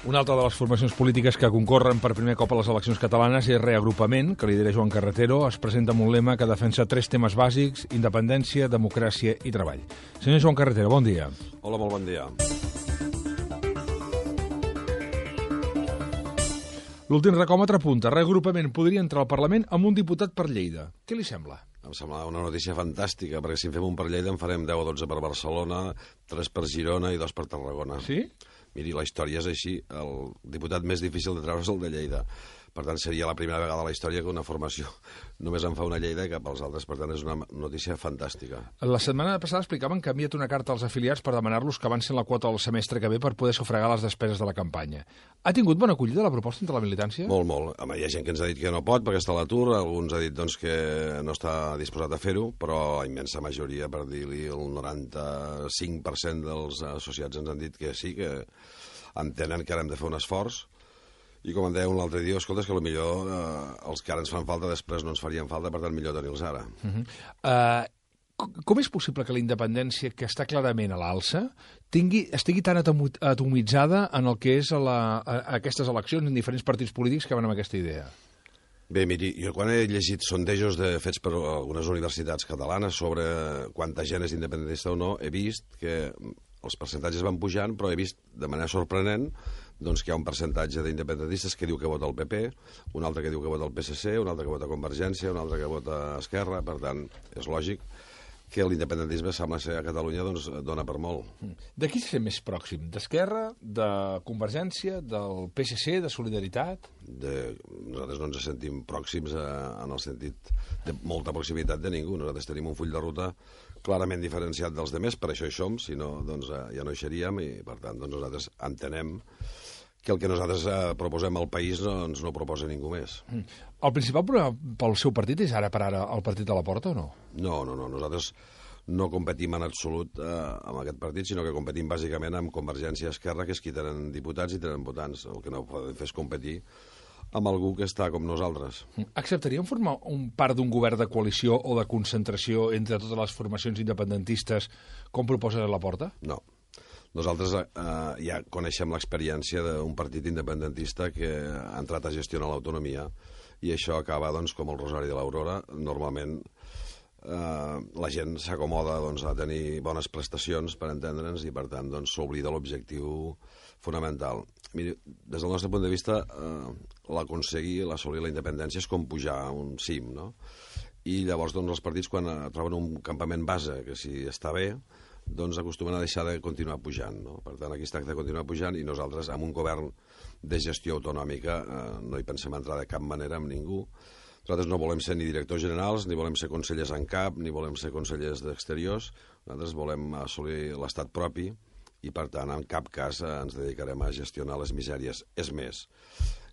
Una altra de les formacions polítiques que concorren per primer cop a les eleccions catalanes és Reagrupament, que lidera Joan Carretero. Es presenta amb un lema que defensa 3 temes bàsics: independència, democràcia i treball. Senyor Joan Carretero, bon dia. Hola, molt bon dia. L'últim recòmetre apunta: Reagrupament podria entrar al Parlament amb un diputat per Lleida. Què li sembla? Em sembla una notícia fantàstica, perquè si en fem un per Lleida en farem 10 o 12 per Barcelona, 3 per Girona i 2 per Tarragona. Sí? Miri, la història és així. El diputat més difícil de treure és el de Lleida. Per tant, seria la primera vegada a la història que una formació només en fa una Lleida i cap als altres. Per tant, és una notícia fantàstica. La setmana passada explicaven que ha enviat una carta als afiliats per demanar-los que avancin la quota del semestre que ve per poder sufragar les despeses de la campanya. Ha tingut bona acollida la proposta entre la militància? Molt, molt. Home, hi ha gent que ens ha dit que no pot perquè està a l'atur, alguns ha dit doncs, que no està disposat a fer-ho, però la immensa majoria, per dir-li el 95% dels associats ens han dit que sí, que entenen que ara hem de fer un esforç. I com em deia un altre dia, escolta, és que potser els que ara ens fan falta després no ens farien falta, per tant millor tenir-los ara. Com és possible que la independència, que està clarament a l'alça, estigui tan atomitzada en el que és aquestes eleccions en diferents partits polítics que van amb aquesta idea? Bé, miri, jo quan he llegit sondejos fets per algunes universitats catalanes sobre quanta gent és independentista o no, he vist que els percentatges van pujant, però he vist de manera sorprenent doncs, que hi ha un percentatge d'independentistes que diu que vota el PP, un altre que diu que vota el PSC, un altre que vota Convergència, un altre que vota Esquerra. Per tant, és lògic que l'independentisme sembla ser a Catalunya doncs, dona per molt. De qui se sent més pròxim? D'Esquerra, de Convergència, del PSC, de Solidaritat? Nosaltres no ens sentim pròxims en el sentit de molta proximitat de ningú. Nosaltres tenim un full de ruta clarament diferenciat dels demés, per això hi som, si no doncs, ja no hi seríem, i per tant doncs, nosaltres entenem que el que nosaltres proposem al país no ens no proposa ningú més. El principal problema pel seu partit és ara per ara el partit de la Porta o no? No. Nosaltres no competim en absolut amb aquest partit, sinó que competim bàsicament amb Convergència i Esquerra, que és qui tenen diputats i tenen votants. El que no podem fer és competir amb algú que està com nosaltres. Acceptaríem formar part d'un govern de coalició o de concentració entre totes les formacions independentistes, com proposa la Porta? No. Nosaltres ja coneixem l'experiència d'un partit independentista que ha entrat a gestionar l'autonomia i això acaba doncs, com el Rosari de l'Aurora. Normalment la gent s'acomoda doncs, a tenir bones prestacions, per entendre'ns, i per tant doncs, s'oblida l'objectiu fonamental. Miri, des del nostre punt de vista, l'assolir la independència és com pujar a un cim, no? I llavors doncs, els partits, quan troben un campament base que si està bé, doncs acostumen a deixar de continuar pujant, no? Per tant, aquí es tracta de continuar pujant i nosaltres, amb un govern de gestió autonòmica, no hi pensem entrar de cap manera amb ningú. Nosaltres no volem ser ni directors generals, ni volem ser consellers en cap, ni volem ser consellers d'exteriors. Nosaltres volem assolir l'estat propi i, per tant, en cap cas ens dedicarem a gestionar les misèries. És més,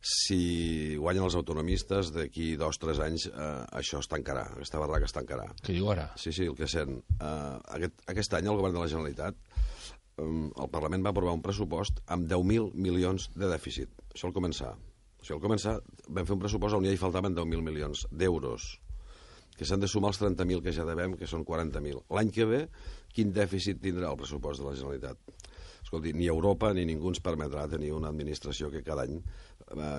si guanyen els autonomistes, d'aquí 2 o 3 anys això es tancarà, aquesta barraca es tancarà. Què diu ara? Sí, el que sent. Aquest any el govern de la Generalitat, el Parlament va aprovar un pressupost amb 10.000 milions de dèficit. Això al començar. Al començar vam fer un pressupost on ja hi faltaven 10.000 milions d'euros, que s'han de sumar els 30.000 que ja devem, que són 40.000. L'any que ve, quin dèficit tindrà el pressupost de la Generalitat? Escolti, ni Europa ni ningú ens permetrà tenir una administració que cada any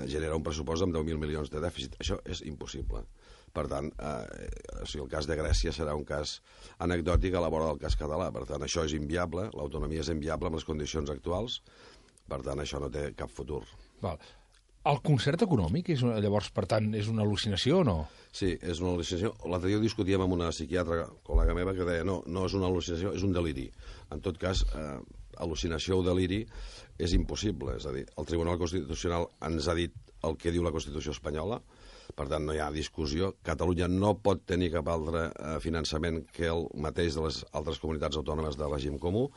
genera un pressupost amb 10.000 milions de dèficit. Això és impossible. Per tant, el cas de Grècia serà un cas anecdòtic a la vora del cas català. Per tant, això és inviable, l'autonomia és inviable amb les condicions actuals. Per tant, això no té cap futur. Val. El concert econòmic, llavors, per tant, és una al·lucinació o no? Sí, és una al·lucinació. L'altre dia ho discutíem amb una psiquiatra, col·lega meva, que deia no és una al·lucinació, és un deliri. En tot cas, al·lucinació o deliri és impossible. És a dir, el Tribunal Constitucional ens ha dit el que diu la Constitució espanyola, per tant, no hi ha discussió. Catalunya no pot tenir cap altre finançament que el mateix de les altres comunitats autònomes de règim comú.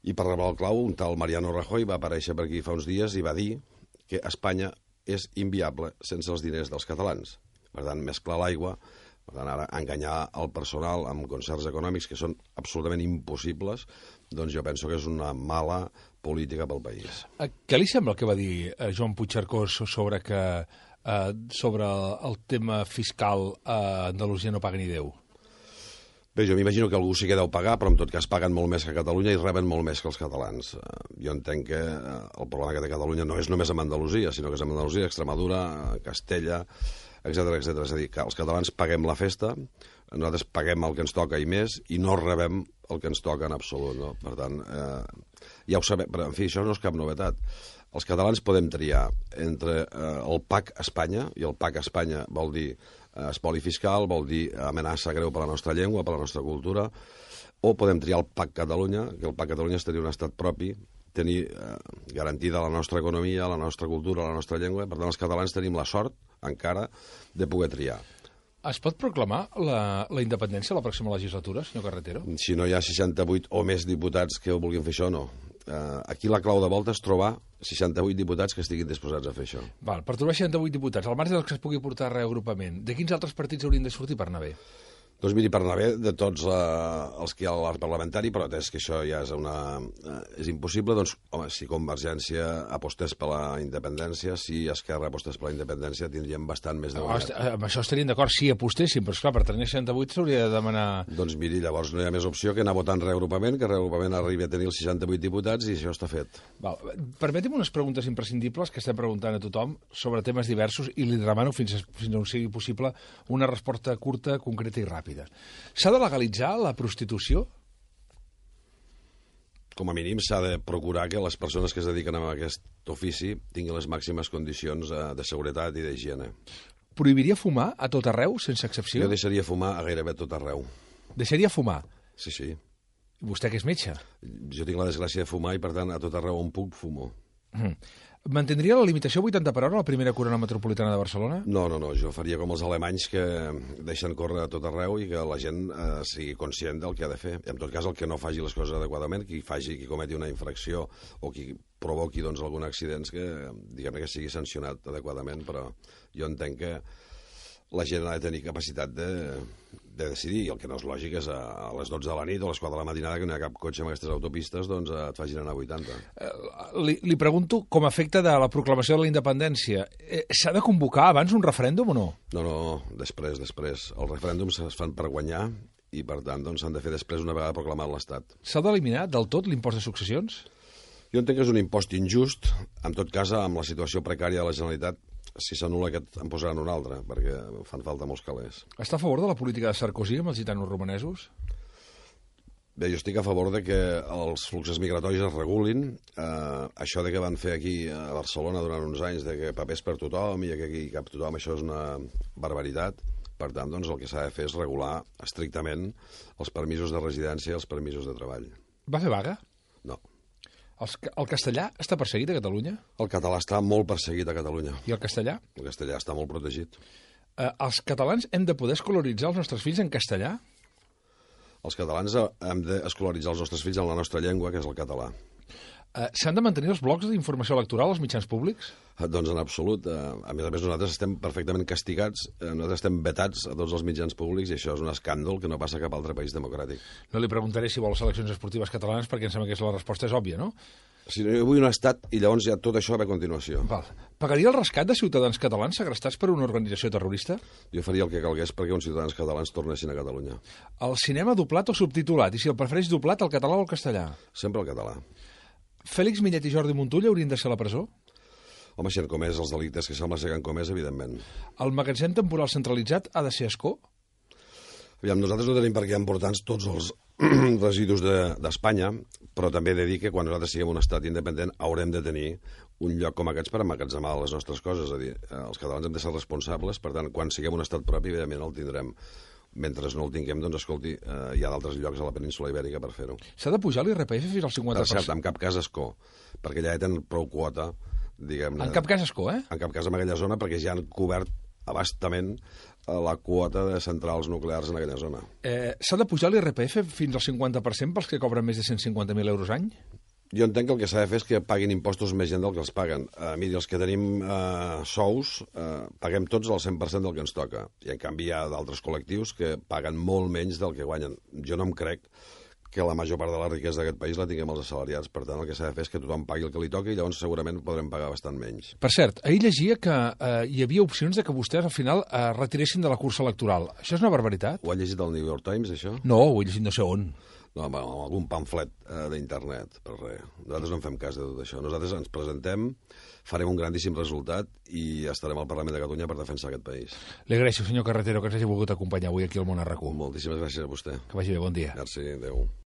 I per reblar el clau, un tal Mariano Rajoy va aparèixer per aquí fa uns dies i va dir que Espanya és inviable sense els diners dels catalans. Per tant, mesclar l'aigua, per tant, ara enganyar el personal amb concerts econòmics que són absolutament impossibles, doncs jo penso que és una mala política pel país. Què li sembla el que va dir Joan Puigcercós sobre el tema fiscal a Andalusia no paga ni Déu? Bé, jo m'imagino que algú sí que deu pagar, però en tot cas paguen molt més que a Catalunya i reben molt més que els catalans. Jo entenc que el problema que té Catalunya no és només amb Andalusia, sinó que és amb Andalusia, Extremadura, Castella, etc. És a dir, que els catalans paguem la festa, nosaltres paguem el que ens toca i més, i no rebem el que ens toca en absolut. No? Per tant, ja ho sabem, però en fi, això no és cap novetat. Els catalans podem triar entre el PAC Espanya, i el PAC Espanya vol dir espoli fiscal, vol dir amenaça greu per a la nostra llengua, per a la nostra cultura, o podem triar el PAC Catalunya, que el PAC Catalunya és tenir un estat propi, tenir garantida la nostra economia, la nostra cultura, la nostra llengua. Per tant, els catalans tenim la sort, encara, de poder triar. Es pot proclamar la independència a la pròxima legislatura, senyor Carretero? Si no hi ha 68 o més diputats que vulguin fer això, no. Aquí la clau de volta és trobar 68 diputats que estiguin disposats a fer això. Val, per trobar 68 diputats, al marge dels que es pugui portar a reagrupament, de quins altres partits haurien de sortir per anar bé? Doncs miri, per anar bé de tots els que hi ha a l'art parlamentari, però atès que això ja és impossible, doncs, home, si Convergència apostés per la independència, si Esquerra apostés per la independència, tindríem bastant més de guanyat. Amb això estaríem d'acord si apostéssim, però esclar, per tenir 68 s'hauria de demanar... Doncs miri, llavors no hi ha més opció que anar votant reagrupament, que reagrupament arribi a tenir els 68 diputats i això està fet. Val. Permeti'm unes preguntes imprescindibles que estem preguntant a tothom sobre temes diversos i li demano fins on sigui possible una resposta curta, concreta i ràpida. S'ha de legalitzar la prostitució? Com a mínim s'ha de procurar que les persones que es dediquen a aquest ofici tinguin les màximes condicions de seguretat i d'higiene. Prohibiria fumar a tot arreu, sense excepció? Jo deixaria fumar a gairebé tot arreu. Deixaria fumar? Sí, sí. Vostè que és metge? Jo tinc la desgràcia de fumar i, per tant, a tot arreu on puc, fumo. Mantindria la limitació 80 per hora a la primera corona metropolitana de Barcelona? No, jo faria com els alemanys que deixen córrer a tot arreu i que la gent sigui conscient del que ha de fer. I en tot cas, el que no faci les coses adequadament, qui cometi una infracció o qui provoqui doncs, algun accident que, diguem-ne, que sigui sancionat adequadament, però jo entenc que la gent ha de tenir capacitat de decidir, i el que no és lògic és a les 12 de la nit o a les 4 de la matinada, que no hi ha cap cotxe amb aquestes autopistes, doncs et facin anar a 80. Li pregunto, com a efecte de la proclamació de la independència, s'ha de convocar abans un referèndum o no? No, després. Els referèndums es fan per guanyar i, per tant, doncs, s'han de fer després una vegada proclamat l'Estat. S'ha d'eliminar del tot l'impost de successions? Jo entenc que és un impost injust. En tot cas, amb la situació precària de la Generalitat, si s'anul·la aquest, en posaran un altre, perquè fan falta molts calés. Està a favor de la política de Sarkozy amb els gitanos romanesos? Bé, jo estic a favor de que els fluxos migratoris es regulin. Això de que van fer aquí a Barcelona durant uns anys, de que papers per tothom i que aquí cap tothom, això és una barbaritat. Per tant, doncs, el que s'ha de fer és regular estrictament els permisos de residència i els permisos de treball. Va fer vaga? No. El castellà està perseguit a Catalunya? El català està molt perseguit a Catalunya. I el castellà? El castellà està molt protegit. Els catalans hem de poder escolaritzar els nostres fills en castellà? Els catalans hem d'escolaritzar els nostres fills en la nostra llengua, que és el català. S'han de mantenir els blocs d'informació electoral als mitjans públics? Doncs en absolut. A més, nosaltres estem perfectament castigats, nosaltres estem vetats a tots els mitjans públics i això és un escàndol que no passa a cap altre país democràtic. No li preguntaré si vol seleccions esportives catalanes perquè em sembla que la resposta és òbvia, no? Si no, jo vull un estat i llavors ja tot això ve a continuació. Val. Pagaria el rescat de ciutadans catalans segrestats per una organització terrorista? Jo faria el que calgués perquè uns ciutadans catalans tornessin a Catalunya. El cinema doblat o subtitulat? I si el prefereix doblat, el català o el castellà? Sempre el català. Fèlix Millet i Jordi Montull haurien de ser a la presó? Home, si han comès els delictes que sembla ser que han comès, evidentment. El magatzem temporal centralitzat ha de ser Ascó? Aviam, nosaltres no tenim per què emportar-nos tots els residus d'Espanya, però també he de dir que quan nosaltres siguem un estat independent haurem de tenir un lloc com aquests per emmagatzemar les nostres coses. És a dir, els catalans hem de ser responsables, per tant, quan siguem un estat propi, evidentment el tindrem. Mentre no el tinguem, doncs, escolti, hi ha d'altres llocs a la península Ibèrica per fer-ho. S'ha de pujar l'IRPF fins al 50%? Per cert, en cap cas Ascó, perquè ja tenen prou quota, diguem-ne. En cap cas Ascó, eh? En cap cas en aquella zona, perquè ja han cobert abastament la quota de centrals nuclears en aquella zona. S'ha de pujar l'IRPF fins al 50% pels que cobren més de 150.000 euros any? Jo entenc que el que s'ha de fer és que paguin impostos més gent del que els paguen. Miri, els que tenim sous, paguem tots el 100% del que ens toca. I en canvi hi ha d'altres col·lectius que paguen molt menys del que guanyen. Jo no em crec que la major part de la riquesa d'aquest país la tinguem els assalariats. Per tant, el que s'ha de fer és que tothom pagui el que li toqui i llavors segurament podrem pagar bastant menys. Per cert, ahir llegia que hi havia opcions de que vostès al final retiressin de la cursa electoral. Això és una barbaritat? Ho ha llegit el New York Times, això? No, ho he llegit no sé on. No, amb algun pamflet d'internet, per res. Nosaltres no en fem cas de tot això. Nosaltres ens presentem, farem un grandíssim resultat i estarem al Parlament de Catalunya per defensar aquest país. Li agraeixo, senyor Carretero, que ens hagi volgut acompanyar avui aquí al Món RQ. Moltíssimes gràcies a vostè. Que vagi bé, bon dia. Merci, adéu.